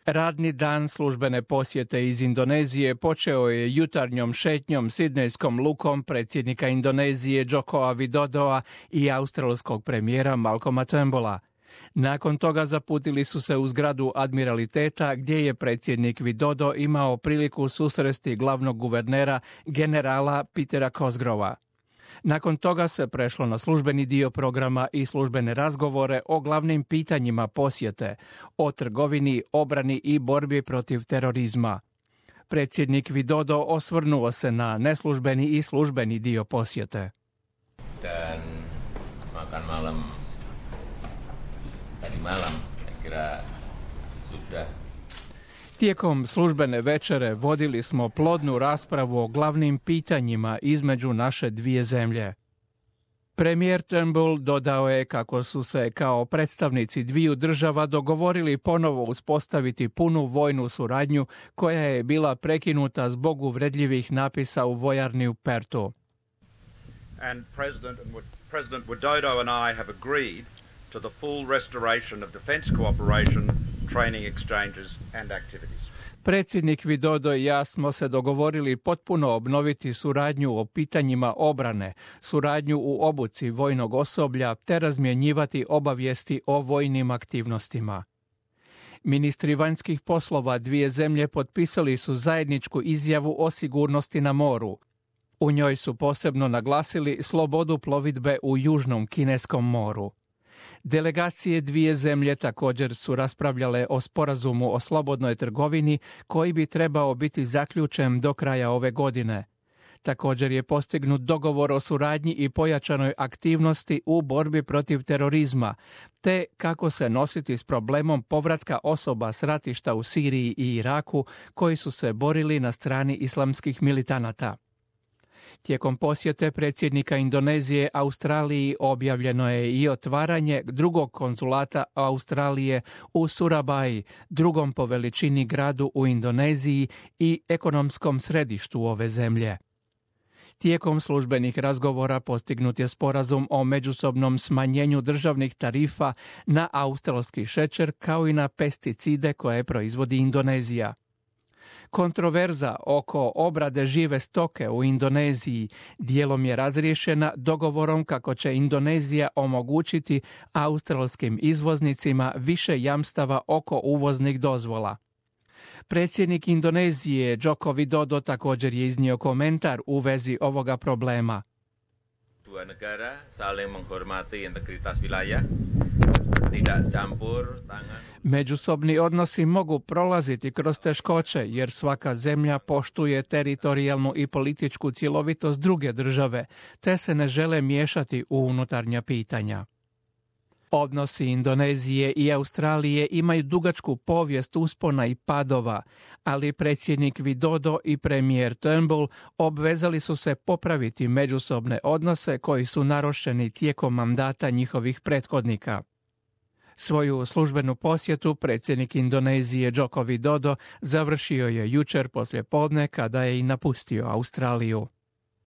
Radni dan službene posjete iz Indonezije počeo je jutarnjom šetnjom sidnejskom lukom predsjednika Indonezije Jokoa Widodoa i australskog premijera Malcolma Turnbulla. Nakon toga zaputili su se u zgradu admiraliteta gdje je predsjednik Widodo imao priliku susresti glavnog guvernera generala Petera Cosgrova. Nakon toga se prešlo na službeni dio programa i službene razgovore o glavnim pitanjima posjete, o trgovini, obrani i borbi protiv terorizma. Predsjednik Widodo osvrnuo se na neslužbeni i službeni dio posjete. Dan makan malam tadi malam, kira sudah. Tijekom službene večere vodili smo plodnu raspravu o glavnim pitanjima između naše dvije zemlje. Premijer Turnbull dodao je kako su se kao predstavnici dviju država dogovorili ponovo uspostaviti punu vojnu suradnju koja je bila prekinuta zbog uvredljivih napisa u vojarni u Perthu. And President Widodo and I have agreed to the full restoration of defence cooperation, training exchanges and activities. Predsjednik Widodo i ja smo se dogovorili potpuno obnoviti suradnju o pitanjima obrane, suradnju u obuci vojnog osoblja te razmjenjivati obavijesti o vojnim aktivnostima. Ministri vanjskih poslova dvije zemlje potpisali su zajedničku izjavu o sigurnosti na moru. U njoj su posebno naglasili slobodu plovidbe u Južnom Kineskom moru. Delegacije dvije zemlje također su raspravljale o sporazumu o slobodnoj trgovini koji bi trebao biti zaključen do kraja ove godine. Također je postignut dogovor o suradnji i pojačanoj aktivnosti u borbi protiv terorizma, te kako se nositi s problemom povratka osoba s ratišta u Siriji i Iraku koji su se borili na strani islamskih militanata. Tijekom posjete predsjednika Indonezije Australiji objavljeno je i otvaranje drugog konzulata Australije u Surabaji, drugom po veličini gradu u Indoneziji i ekonomskom središtu ove zemlje. Tijekom službenih razgovora postignut je sporazum o međusobnom smanjenju državnih tarifa na australski šećer kao i na pesticide koje proizvodi Indonezija. Kontroverza oko obrade žive stoke u Indoneziji dijelom je razriješena dogovorom kako će Indonezija omogućiti australskim izvoznicima više jamstava oko uvoznih dozvola. Predsjednik Indonezije Joko Widodo također je iznio komentar u vezi ovoga problema. Dua negara saling menghormati integritas wilayah, tidak campur tangan. Međusobni odnosi mogu prolaziti kroz teškoće jer svaka zemlja poštuje teritorijalnu i političku cjelovitost druge države, te se ne žele miješati u unutarnja pitanja. Odnosi Indonezije i Australije imaju dugačku povijest uspona i padova, ali predsjednik Widodo i premijer Turnbull obvezali su se popraviti međusobne odnose koji su narušeni tijekom mandata njihovih prethodnika. Svoju službenu posjetu predsjednik Indonezije Joko Widodo završio je jučer poslijepodne kada je i napustio Australiju.